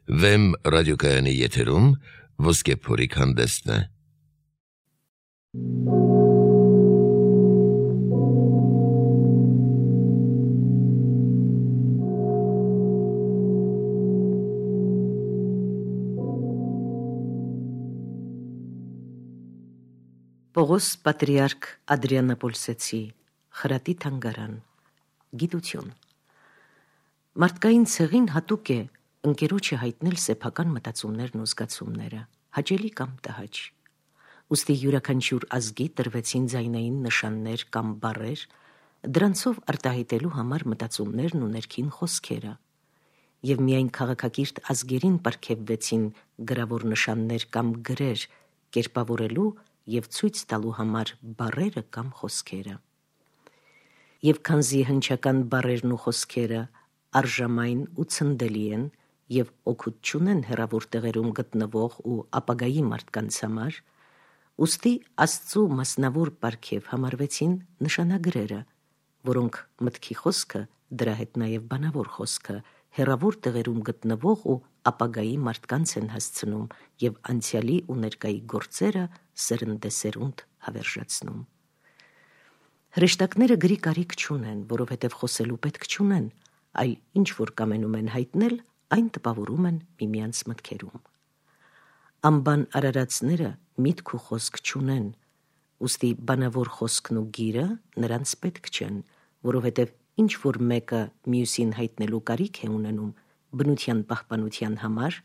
Վեմ ռադիոկայանի եթերում Ոսկե փորիկ հանդեսն է։ Պողոս Պատրիարք Ադրիանապոլսեցի խրատի թանգարան գիտություն Մարդկային ցեղին հատուկ է ընկերոջը հայտնել սեփական մտածումներն ու զգացումները, հաճելի կամ տհաճ։ Ուստի յուրաքանչյուր ազգի տրվեցին ձայնային նշաններ կամ բառեր, դրանցով արտահայտելու համար մտածումներն ու ներքին խոսքերը, եւ միայն քաղաքակիրթ ազգերին պարգևվեցին գրավոր նշաններ կամ գրեր, կերպավորելու եւ ցույց տալու համար բառերը կամ խոսքերը։ Եվ քանզի հնչական բառերն ու խոսքերը արժամայն ու ցնդելի են եւ օգուտ չունեն հեռավոր տեղերում գտնվող ու ապագայի մարդկանց համար, ուստի Աստծու մասնավոր պարգև համարվեցին նշանագրերը, որոնք մտքի խոսքը, դրա հետ նաեւ բանավոր խոսքը, հեռավոր տեղերում գտնվող ու ապագայի մարդկանց են հասցնում եւ անցյալի ու ներկայի գործերը սերնդեսերունդ հավերժացնում։ Հրեշտակները գրի կարիք չունեն, որովհետև խոսելու պետք չունեն, այլ ինչ որ կամենում են հայտնել, այն տպավորում են միմյանց մտքերում։ Անբան արարածները միտք ու խոսք չունեն, ուստի բանավոր խոսքն ու գիրը նրանց պետք չեն, որովհետև ինչ որ մեկը մյուսին հայտնելու կարիք է ունենում, բնության պահպանության համար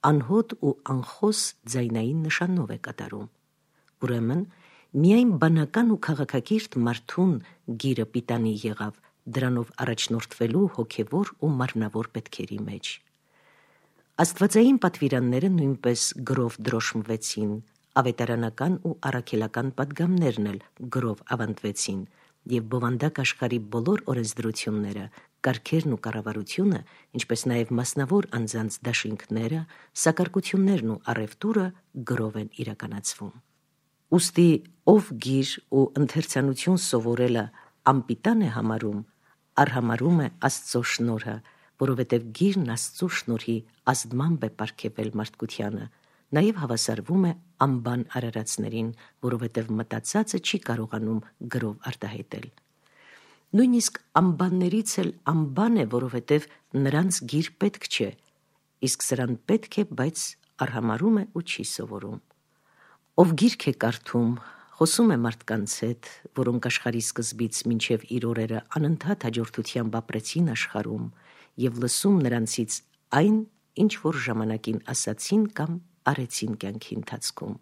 անհոտ ու անխոս ձայնային նշանով է կատարում։ Ուրեմն, միայն բանական ու քաղաքակիրթ մարդուն գիրը պիտանի եղավ դրանով առաջնորդվելու հոգևոր ու մարմնավոր պետքերի մեջ։ Աստվածային պատվիրանները նույնպես գրով դրոշմվեցին, ավետարանական ու առաքելական պատգամներն էլ գրով ավանդվեցին, եւ բովանդակ աշխարհի բոլոր օրենսդրությունները, կարգերն ու կառավարությունը, ինչպես նաեւ մասնավոր անձանց դաշինքները, սակարկություններն ու առևտուրը գրով են իրականացվում։ Ուստի ով գիր ու ընթերցանություն սովորելը անպիտան է համարում, արհամարում է Աստծո շնորհը, որովհետև գիրն Աստծո շնորհի ազդմամբ է պարգևել մարդկությանը, նաև հավասարվում է անբան արարածներին, որովհետև մտածածը չի կարողանում գրով արտահայտել։ Նույնիսկ անբաններից էլ անբան է, որովհետև նրանց գիր պետք չէ, իսկ սրան պետք է, բայց արհամարում է ու չի սովորում։ Ով գիրք է կարդում, խոսում է մարդկանց հետ, որոնք աշխարհի սկզբից մինչև իր օրերը անընդհատ հաջորդությամբ ապրեցին աշխարհում, եւ լսում նրանցից այն, ինչ որ ժամանակին ասացին կամ արեցին կյանքի ընթացքում։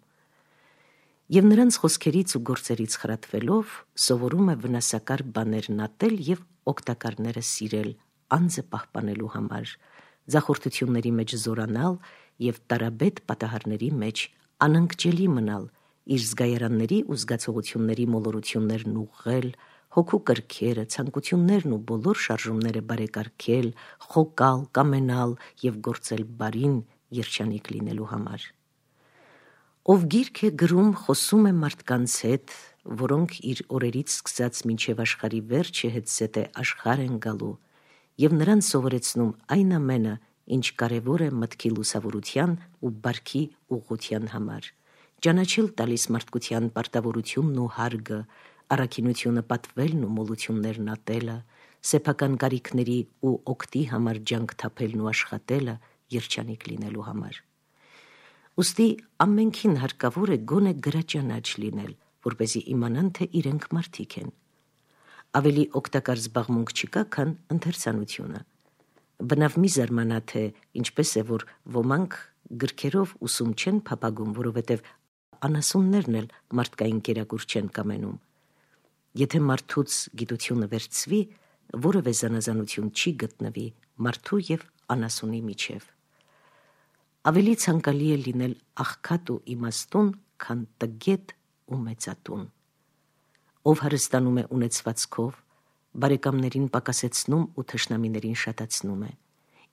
Եվ նրանց խոսքերից ու գործերից խրատվելով սովորում է վնասակար բաներն ատել եւ օգտակարները սիրել, անձը պահպանելու համար, ձախորդությունների մեջ զորանալ եւ տարաբեդ պատահարների մեջ անընկճելի մնալ, իր զգայարանների ու զգացողությունների մոլորություններն ուղղել, հոգու կրքերը, ցանկություններն ու բոլոր շարժումները բարեկարգել, խոկալ, կամենալ եւ գործել բարին երջանիկ լինելու համար։ Ով գիրք է գրում, խոսում է մարդկանց հետ, որոնք իր օրերից սկսած մինչև աշխարհի վերջը հետզհետե աշխարհ են գալու, եւ նրան սովորեցնում այն ամենը, ինչ կարևոր է մտքի լուսավորության ու բարքի ուղղության համար, ճանաչել տալիս մարդկության պարտավորությունն ու հարգը, առաքինությունը պատվելն ու մոլություններն ատելը, սեփական կարիքների ու օգտի համար ջանք թափելն ու աշխատելը երջանիկ լինելու համար։ Ուստի ամենքին հարկավոր է գոնե գրաճանաչ լինել, որպեսզի իմանան, թե իրենք մարդիկ են։ Ավելի օգտակար զբաղմունք չկա, քան ընթերցանությունը։ Բնավ մի զարմանա, թե ինչպես է, որ ոմանք գրքերով ուսում չեն փափագում, որովհետև անասուններն էլ մարդկային կերակուր չեն կամենում։ Եթե մարդուց գիտությունը վերցվի, որևէ զանազանություն չի գտնվի մարդու եւ անասունի միջև։ Ավելի ցանկալի է լինել աղքատ ու իմաստուն, քան տգետ ու մեծատուն։ Ով հարստանում է ունեցվածքով, բարեկամներին պակասեցնում ու թշնամիներին շատացնում է,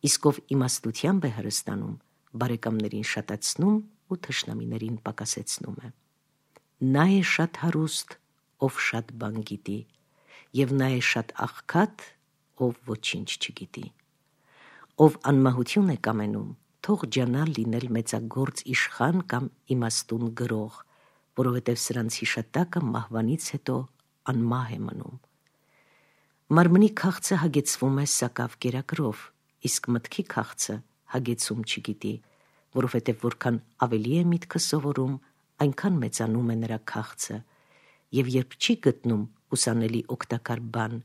իսկ ով իմաստությամբ է հարստանում, բարեկամներին շատացնում ու թշնամիներին պակասեցնում է։ Նա է շատ հարուստ, ով շատ բան գիտի, եւ նա է շատ աղքատ, ով ոչինչ չգիտի։ Ով անմահություն է կամենում, թող ջանա լինել մեծագործ իշխան կամ իմաստուն գրող, որովհետև սրանց հիշատակը մահվանից հետո անմահ է մնում։ Մարմնի քաղցը հագեցվում է սակավ կերակրով, իսկ մտքի քաղցը հագեցում չգիտի, որովհետև որքան ավելի է միտքը սովորում, այնքան մեծանում է նրա քաղցը, եւ երբ չի գտնում ուսանելի օգտակար բան,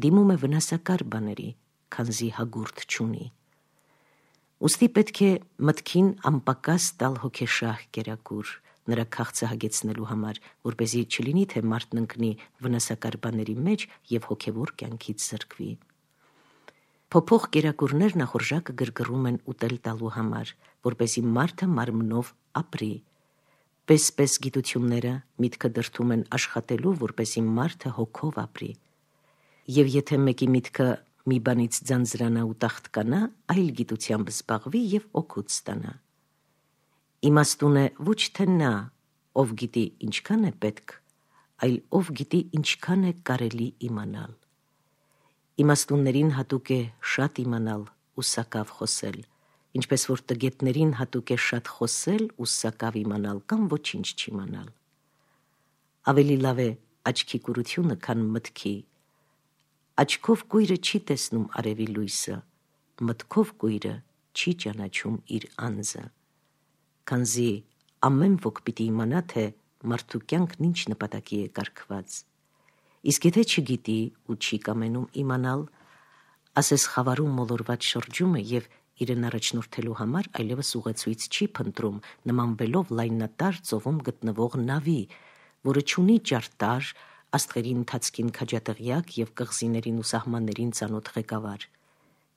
դիմում է վնասակար բաների, քանզի հագուրդ չունի։ Ուստի պետք է մտքին անպակաս տալ հոգեշահ կերակուր, նրա քաղցը հագեցնելու համար, որպեսզի չլինի, թե մարդն ընկնի վնասակար բաների մեջ եւ հոգեվոր կյանքից զրկվի։ Փոփոխ կերակուրներ նախորժակը գրգռում են ուտել տալու համար, որպեսզի մարդը մարմնով ապրի։ Պես գիտությունները միտքը դրդում են աշխատելու, որպեսզի մարդը հոգով ապրի։ Եվ եթե մեկի միտքը մի բանից ձանձրանա ու տախտկանա, այլ գիտությամբ զբաղվի եւ օգուտ ստանա։ Իմաստուն է ոչ թե նա, ով գիտի ինչքան է պետք, այլ ով գիտի ինչքան է կարելի իմանալ։ Իմաստուններին հատուկ է շատ իմանալ ու սակավ խոսել, ինչպես որ տգետներին հատուկ է շատ խոսել ու սակավ իմանալ կամ ոչինչ չիմանալ։ Ավելի լավ է աչքի կուրությունը, քան մտքի։ Աչքով կույրը չի տեսնում արևի լույսը, մտքով կույրը չի ճանաչում իր անձը, քանզի ամեն ոք պիտի իմանա, թե մարդու կյանքն ինչ նպատակի է կարգված։ Իսկ եթե չգիտի ու չի կամենում իմանալ, ասես խավարում մոլորված շրջում է եւ իրեն առաջնորդելու համար այլևս ուղեցույց չի փնտրում, նմանվելով լայնատար ծովում գտնվող նավի, որը չունի ճարտար, աստղերի ընթացքին քաջատեղյակ եւ կղզիներին ու սահմաններին ծանոթ ղեկավար։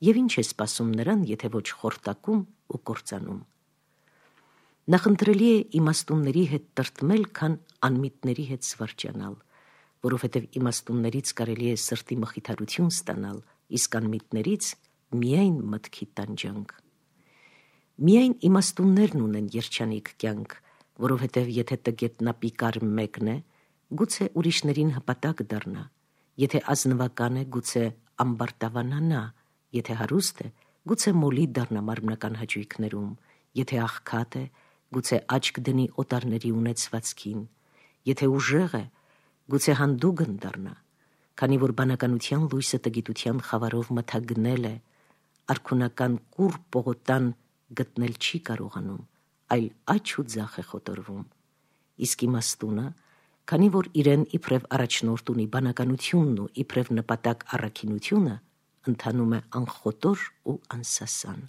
Եվ ինչ է սպասում նրան, եթե ոչ խորտակում ու կործանում։ Նախընտրելի է իմաստունների հետ տրտմել, քան անմիտների հետ զվարճանալ, որովհետև իմաստուններից կարելի է սրտի մխիթարություն ստանալ, իսկ անմիտներից միայն մտքի տանջանք։ Միայն իմաստուններն ունեն երջանիկ կյանք, որովհետև եթե տգետնապիկար մեկն է, գուցե ուրիշներին հպատակ դառնա, եթե ազնվական է, գուցե ամբարտավանանա, եթե հարուստ է, գուցե մոլի դառնա մարմնական հաճույքներում, եթե աղքատ է, գուցե աչք դնի օտարների ունեցվածքին, եթե ուժեղ է, գուցե հանդուգն դառնա, քանի որ բանականության լույսը տգիտության խավարով մթագնել է, արքունական կուռ պողոտան գտնել չի կարողանում, այլ աջ ու ձախ է խոտորվում, իսկ իմաստունը, քանի որ իրեն իբրև առաջնորդ ունի բանականությունն ու իբրև նպատակ առաքինությունը, ընթանում է անխոտոր ու անսասան։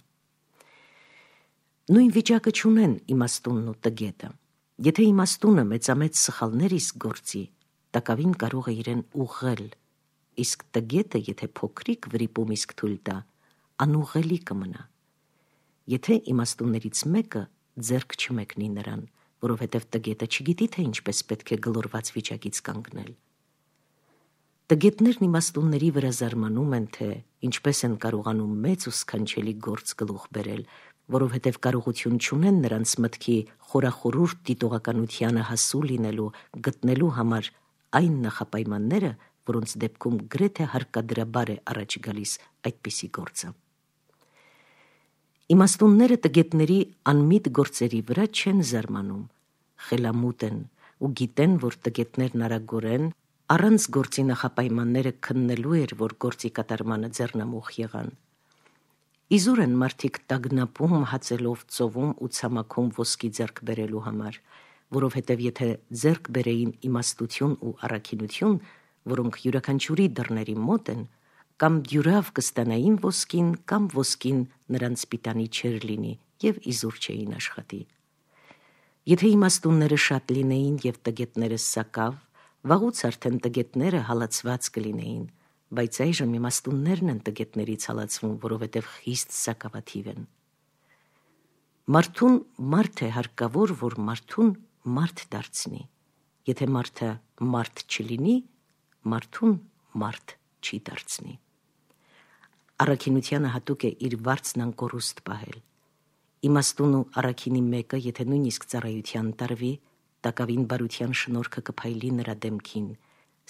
Նույն վիճակը չունեն իմաստունն ու տգետը։ Եթե իմաստունը մեծամեծ սխալներ իսկ գործի, տակավին կարող է իրեն ուղղել, իսկ տգետը, եթե փոքրիկ վրիպում իսկ թույլ տա, անուղղելի կմնա։ Եթե իմաստուններից մեկը ձեռք չմեկնի նրան, որովհետև տգետը չգիտի, թե ինչպես պետք է գլորված վիճակից կանգնել։ Տգետներն իմաստունների վրա զարմանում են, թե ինչպես են կարողանում մեծ ու սքանչելի գործ գլուխ բերել, որովհետև կարողություն չունեն նրանց մտքի խորախորուրդ դիտողականությանը հասու լինելու, գտնելու համար այն նախապայմանները, որոնց դեպքում գրեթե հարկադրաբար է առաջ գալիս այդպիսի գործը։ Իմաստունները տգետների անմիտ գործերի վրա չեն զարմանում, խելամուտ են ու գիտեն, որ տգետներն արագորեն առանց գործի նախապայմանները քննելու էր, որ գործի կատարմանը ձեռնամուխ եղան։ Իզուր են մարդիկ տագնապում, հացելով, ծովում ու ցամաքում ոսկի ձեռք բերելու համար, որովհետև եթե ձեռք բերեին իմաստություն ու առաքինություն, որոնք յուրաքանչյուրի դռների մոտ են, կամ դյուրավ կստանային ոսկին, կամ ոսկին նրանց պիտանի չէր լինի եւ իզուր չէին աշխատի։ Եթե իմաստունները շատ լինեին եւ տգետները սակավ, վաղուց արդեն տգետները հալածված կլինեին, բայց այժմ իմաստուններն են տգետներից հալածվում, որովհետև խիստ սակավաթիվ են։ Մարդուն մարդ է հարկավոր, որ մարդուն մարդ դարձնի։ Եթե մարդը մարդ չլինի, մարդուն մարդ չի դարձնի։ Առաքինությանը հատուկ է իր վարձն անկորուստ պահել։ Իմաստուն ու առաքինի մեկը, եթե նույնիսկ ծառայության տարվի, տակավին բարության շնորհքը կփայլի նրա դեմքին,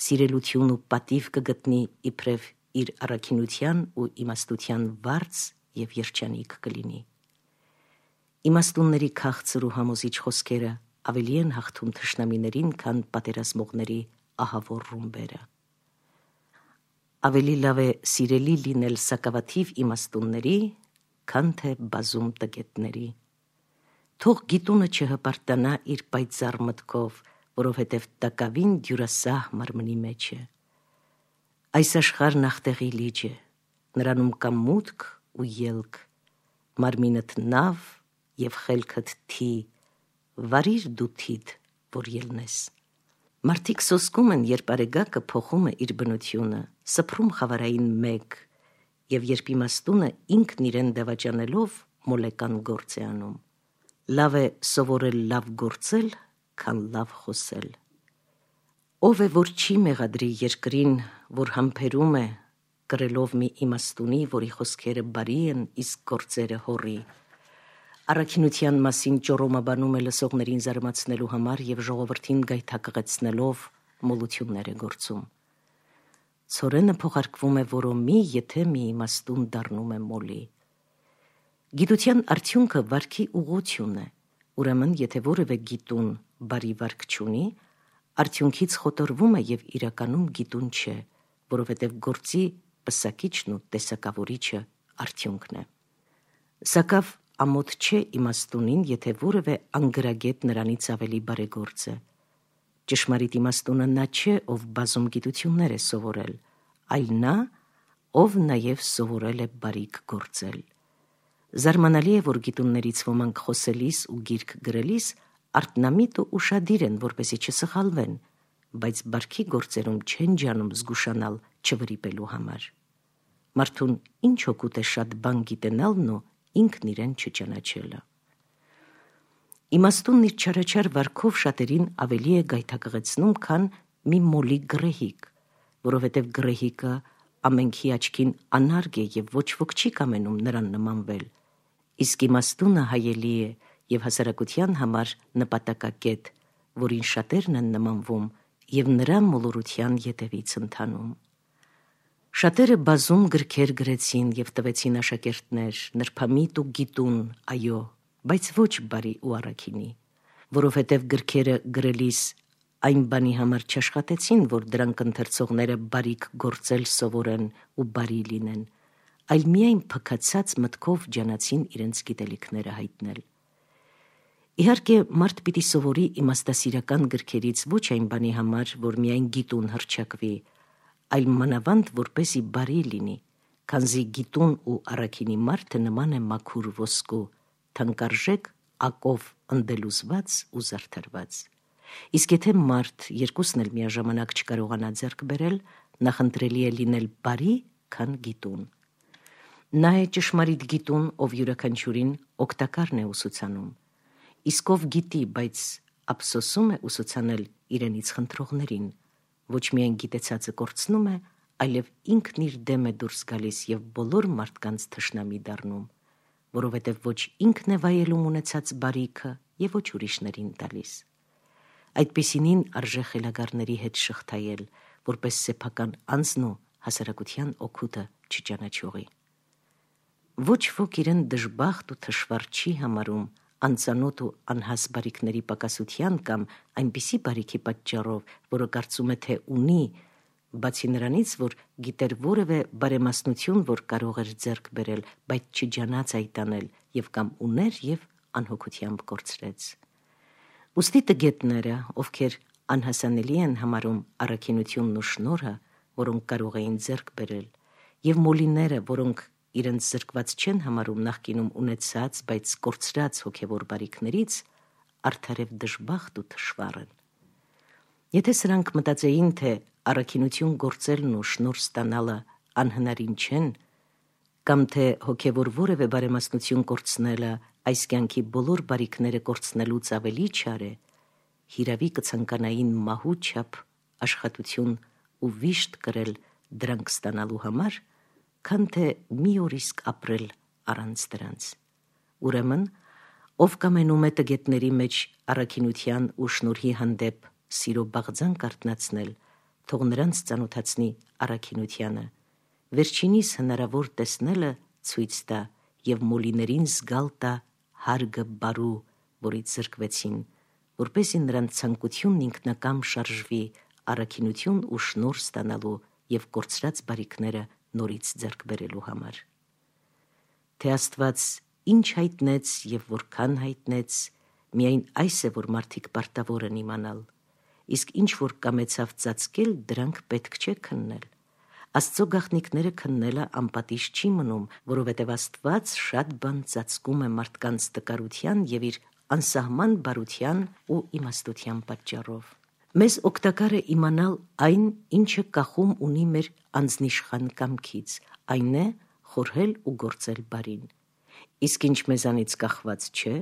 սիրելություն ու պատիվ կգտնի իբրև իր առաքինության ու իմաստության վարձ եւ երջանիկ կլինի։ Իմաստունների քաղցր ու համոզիչ խոսքերը ավելի են հաղթում թշնամիներին, քան պատերազմողների ահավոր ռումբերը։ Ավելի լավ է սիրելի լինել սակավաթիվ իմաստունների, քան թե բազում տգետների։ Թող գիտունը չհպարտանա իր պայծառ մտքով, որովհետև տակավին դյուրասահ մարմնի մեջ է։ Այս աշխարհն ախտեղի լիճ է, նրանում կա մուտք ու ելք, մարմինդ նավ և խելքդ թի, վարիր դու թիդ, որ ելնես։ Մարդիկ սոսկում են, երբ արեգակը փոխում է իր բնությունը, սփռում խավարային մեկ, և երբ իմաստունը ինքն իրեն դավաճանելով մոլեկան գործ է անում։ Լավ է սովորել լավ գործել, քան լավ խոսել։ Ով է, որ չի մեղադրի երկրին, որ համբերում է, կրելով մի իմաստունի, որի խոսքերը բարի են, իսկ գործերը հոռի։ Առաքինության մասին ճոռոմաբանում է լսողներին զարմացնելու համար և ժողովրդին գայթակղեցնելով մոլություններ է գործում։ Ցորենը փոխարկվում է որոմի, եթե մի իմաստուն դառնում է մոլի։ Գիտության արդյունքը վարքի ուղղություն է, ուրեմն եթե որևէ գիտուն բարի վարք չունի, արդյունքից խոտորվում է և իրականում գիտուն չէ, որովհետև գործի պսակիչն ու տեսակավորիչը արդյունքն է։ Սակավ ամոթ չէ իմաստունին, եթե որևէ անգրագետ նրանից ավելի բարեգործ է։ Ճշմարիտ իմաստունը նա չէ, ով բազում գիտություններ է սովորել, այլ նա, ով նաև սովորել է բարիք գործել։ Զարմանալի է, որ գիտուններից ոմանք խոսելիս ու գիրք գրելիս արթնամիտ ու ուշադիր են, որպեսզի չսխալվեն, բայց բարքի գործերում չեն ջանում զգուշանալ չվրիպելու համար։ Մարդուն ինչ օգուտ է շատ բան գիտենալն ու ինքն իրեն չճանաչելը։ Իմաստունն իր չարաչար վարքով շատերին ավելի է գայթակղեցնում, քան մի մոլի գռեհիկ, որովհետև գռեհիկը ամենքի աչքին անարգ է և ոչ ոք չի կամենում նրան նմանվել, իսկ իմաստունը հայելի է և հասարակության համար նպատակակետ, որին շատերն են նմանվում և նրա մոլորության ետևից ընթանում։ Շատերը բազում գրքեր գրեցին և տվեցին աշակերտներ, նրբամիտ ու գիտուն, այո, բայց ոչ բարի ու առաքինի, որովհետև գրքերը գրելիս այն բանի համար չաշխատեցին, որ դրանք ընթերցողները բարիք գործել սովորեն ու բարի լինեն, այլ միայն փքացած մտքով ջանացին իրենց գիտելիքները հայտնել։ Իհարկե, մարդ պիտի սովորի իմաստասիրական գրքերից ոչ այն բանի համար, որ միայն գիտուն հռչակվի, այլ մանավանդ որպեսզի բարի լինի, քանզի գիտուն ու առաքինի մարդը նման է մաքուր ոսկու, թանկարժեք ակով ընդելուզված ու զարդարված։ Իսկ եթե մարդ երկուսն էլ միաժամանակ չկարողանա ձեռք բերել, նախընտրելի է լինել բարի, քան գիտուն։ Նա է ճշմարիտ գիտուն, ով յուրաքանչյուրին օգտակարն է ուսուցանում, իսկ ով գիտի, բայց ափսոսում է ուսուցանել իրենից խնդրողներին, ոչ միայն գիտեցածը կորցնում է, այլև ինքն իր դեմ է դուրս գալիս և բոլոր մարդկանց թշնամի դառնում, որովհետև ոչ ինքն է վայելում ունեցած բարիքը և ոչ ուրիշներին տալիս։ Այդպիսինին արժե խելագարների հետ շղթայել, որպես սեփական անձն ու հասարակության օգուտը չճանաչողի։ Ոչ ոք իրեն դժբախտ ու թշվառ չի համարում անծանոթ ու անհաս բարիքների պակասության կամ այնպիսի բարիքի պատճառով, որը կարծում է, թե ունի, բացի նրանից, որ գիտեր որևէ բարեմասնություն, որ կարող էր ձեռք բերել, բայց չջանաց այդ անել և կամ ուներ և անհոգությամբ կորցրեց։ Ուստի տգետները, ովքեր անհասանելի են համարում առաքինությունն ու շնորհը, որոնք կարող էին ձեռք բերել, և մոլիները, որոնք իրենց զրկված չեն համարում նախկինում ունեցած, բայց կորցրած հոգևոր բարիքներից, արդարև դժբախտ ու թշվառ են։ Եթե սրանք մտածեին, թե առաքինություն գործելն ու շնորհ ստանալը անհնարին չեն, կամ թե հոգևոր որևէ բարեմասնություն կորցնելը այս կյանքի բոլոր բարիքները կորցնելուց ավելի չար է, հիրավի կցանկանային մահու չափ աշխատություն ու վիշտ կրել դրանք ստանալու համար, քան թե մի օր իսկ ապրել առանց դրանց։ Ուրեմն, ով կամենում է տգետների մեջ առաքինության ու շնորհի հանդեպ սիրո բաղձանք արթնացնել, թող նրանց ծանոթացնի առաքինությանը, վերջինիս հնարավոր տեսնելը ցույց տա և մոլիներին զգալ տա հարգը բարու, որից զրկվեցին, որպեսզի նրանց ցանկությունն ինքնակամ շարժվի առաքինություն ու շնորհ ստանալու եւ կորցրած բարիքները նորից ձեռք բերելու համար։ Թե Աստված ինչ հայտնեց եւ որքան հայտնեց, միայն այս է, որ մարդիկ պարտավոր են իմանալ, իսկ ինչ որ կամեցավ ծածկել, դրանք պետք չէ քննել։ Աստծո գաղտնիքները քննելը անպատիժ չի մնում, որովհետև Աստված շատ բան ծածկում է մարդկանց տկարության եւ իր անսահման բարության ու իմաստության պատճառով։ Մեզ օգտակար է իմանալ այն, ինչը կախում ունի մեր անձնիշխան կամքից, այն է խորհել ու գործել բարին։ Իսկ ինչ մեզանից կախված չէ,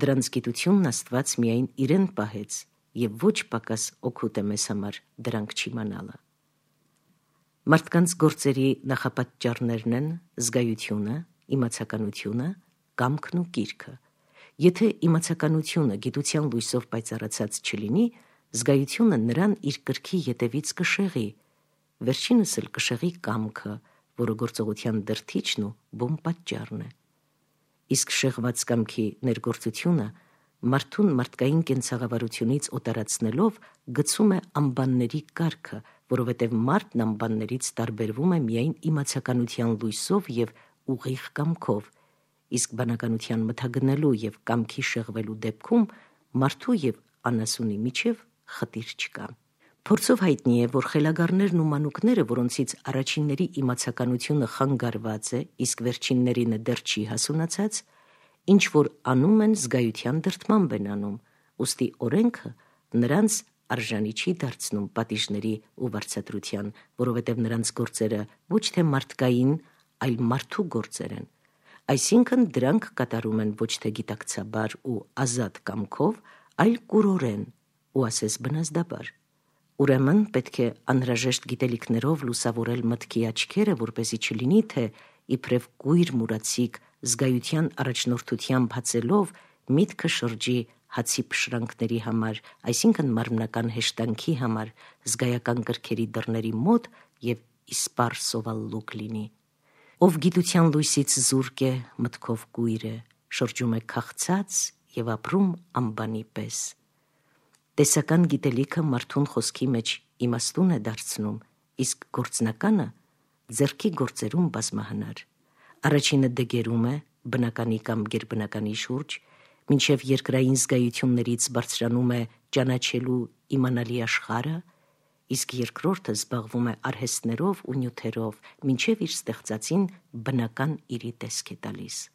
դրանց գիտությունն Աստված միայն իրեն պահեց եւ ոչ պակաս օգուտ է մեզ համար դրանք չիմանալը։ Մարդկանց գործերի նախապատճառներն են զգայությունը, իմացականությունը, կամքն ու կիրքը։ Եթե իմացականությունը գիտության լույսով պայծառացած չլինի, զգայությունը նրան իր կրքի ետևից կշեղի, վերջինս էլ կշեղի կամքը, որը գործողության դրդիչն ու բուն պատճառն է։ Իսկ շեղված կամքի ներգործությունը մարդուն մարդկային կենցաղավարությունից օտարացնելով գցում է անբանների կարգը, որովհետև մարդն անբաններից տարբերվում է միայն իմացականության լույսով եւ ուղիղ կամքով, իսկ բանականության մթագնելու եւ կամքի շեղվելու դեպքում մարդու եւ անասունի միջև խտիր չկա։ Փորձով հայտնի է, որ խելագարներն ու մանուկները, որոնցից առաջինների իմացականությունը խանգարված է, իսկ վերջիններինը դեռ չի հասունացած, ինչ որ անում են զգայության դրդմամբ են անում, ուստի օրենքը նրանց արժանի չի դարձնում պատիժների ու վարձատրության, որովհետև նրանց գործերը ոչ թե մարդկային, այլ մարդու գործեր են։ Այսինքն դրանք կատարում են ոչ թե գիտակցաբար ու ազատ կամքով, այլ կուրորեն ու ասես բնազդաբար։ Ուրեմն պետք է անհրաժեշտ գիտելիքներով լուսավորել մտքի աչքերը, որպեսզի չլինի, թե իբրև կույր մուրացիկ զգայության առաջնորդությամբ հացելով միտքը շրջի հացի փշրանքների համար, այսինքն մարմնական հեշտանքի համար, զգայական կրքերի դռների մոտ եւ իսպառ սովալլուկ լինի։ Ով գիտության լույսից զուրկ է, մտքով կույր է, շրջում է քաղցած եւ ապրում անբանի պես։ Տեսական գիտելիքը մարդուն խոսքի մեջ իմաստուն է դարձնում, իսկ գործնականը ձեռքի գործերում բազմահնար։ Առաջինը դգերում է բնականի կամ գերբնականի շուրջ, մինչև երկրային զգայություններից բարձրանում է ճանաչելու իմանալի աշխարհը, իսկ երկրորդը զբաղվում է արհեստներով ու նյութերով, մինչև իր ստեղծածին բնական իրի տեսք է տալիս։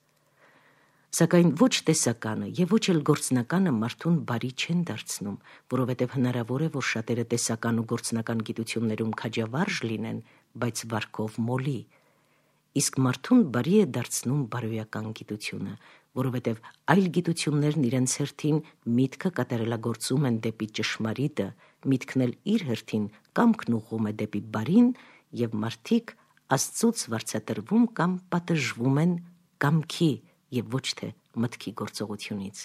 Սակայն ոչ տեսականը եւ ոչ էլ գործնականը մարդուն բարի չեն դարձնում, որովհետև հնարավոր է, որ շատերը տեսական ու գործնական գիտություններում քաջավարժ լինեն, բայց վարքով մոլի։ Իսկ մարդուն բարի է դարձնում բարոյական գիտությունը, որովհետև այլ գիտություններն իրենց հերթին միտքը կատարելագործում են դեպի ճշմարիտը, միտքն էլ իր հերթին կամքն ուղղում է դեպի բարին, եւ մարդիկ Աստծուց վարձատրվում կամ պատժվում են կամքի եւ ոչ թե մտքի գործողությունից։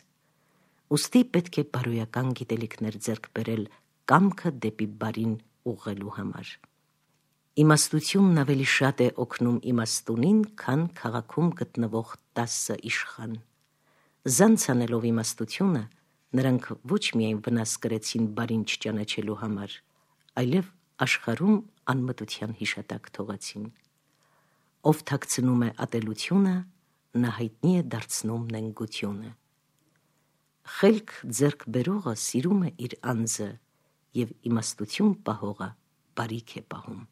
Ուստի պետք է բարոյական գիտելիքներ ձեռք բերել կամքը դեպի բարին ուղղելու համար։ Իմաստությունն ավելի շատ է օգնում իմաստունին, քան քաղաքում գտնվող 10 իշխան։ Զանց անելով իմաստությունը, նրանք ոչ միայն վնաս կրեցին բարին չճանաչելու համար, այլև աշխարհում անմտության հիշատակ թողեցին։ Ով թաքցնում է ատելությունը, նա հայտնի է դարձնում նենգությունը։ Խելք ձեռք բերողը սիրում է իր անձը եւ իմաստություն պահողը բարիք է պահում։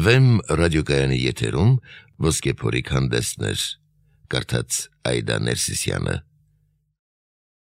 Վեմ ռադիոկայանի եթերում ոսկե փորիկ հանդեսներ, կարդաց Այդա Ներսիսյանը։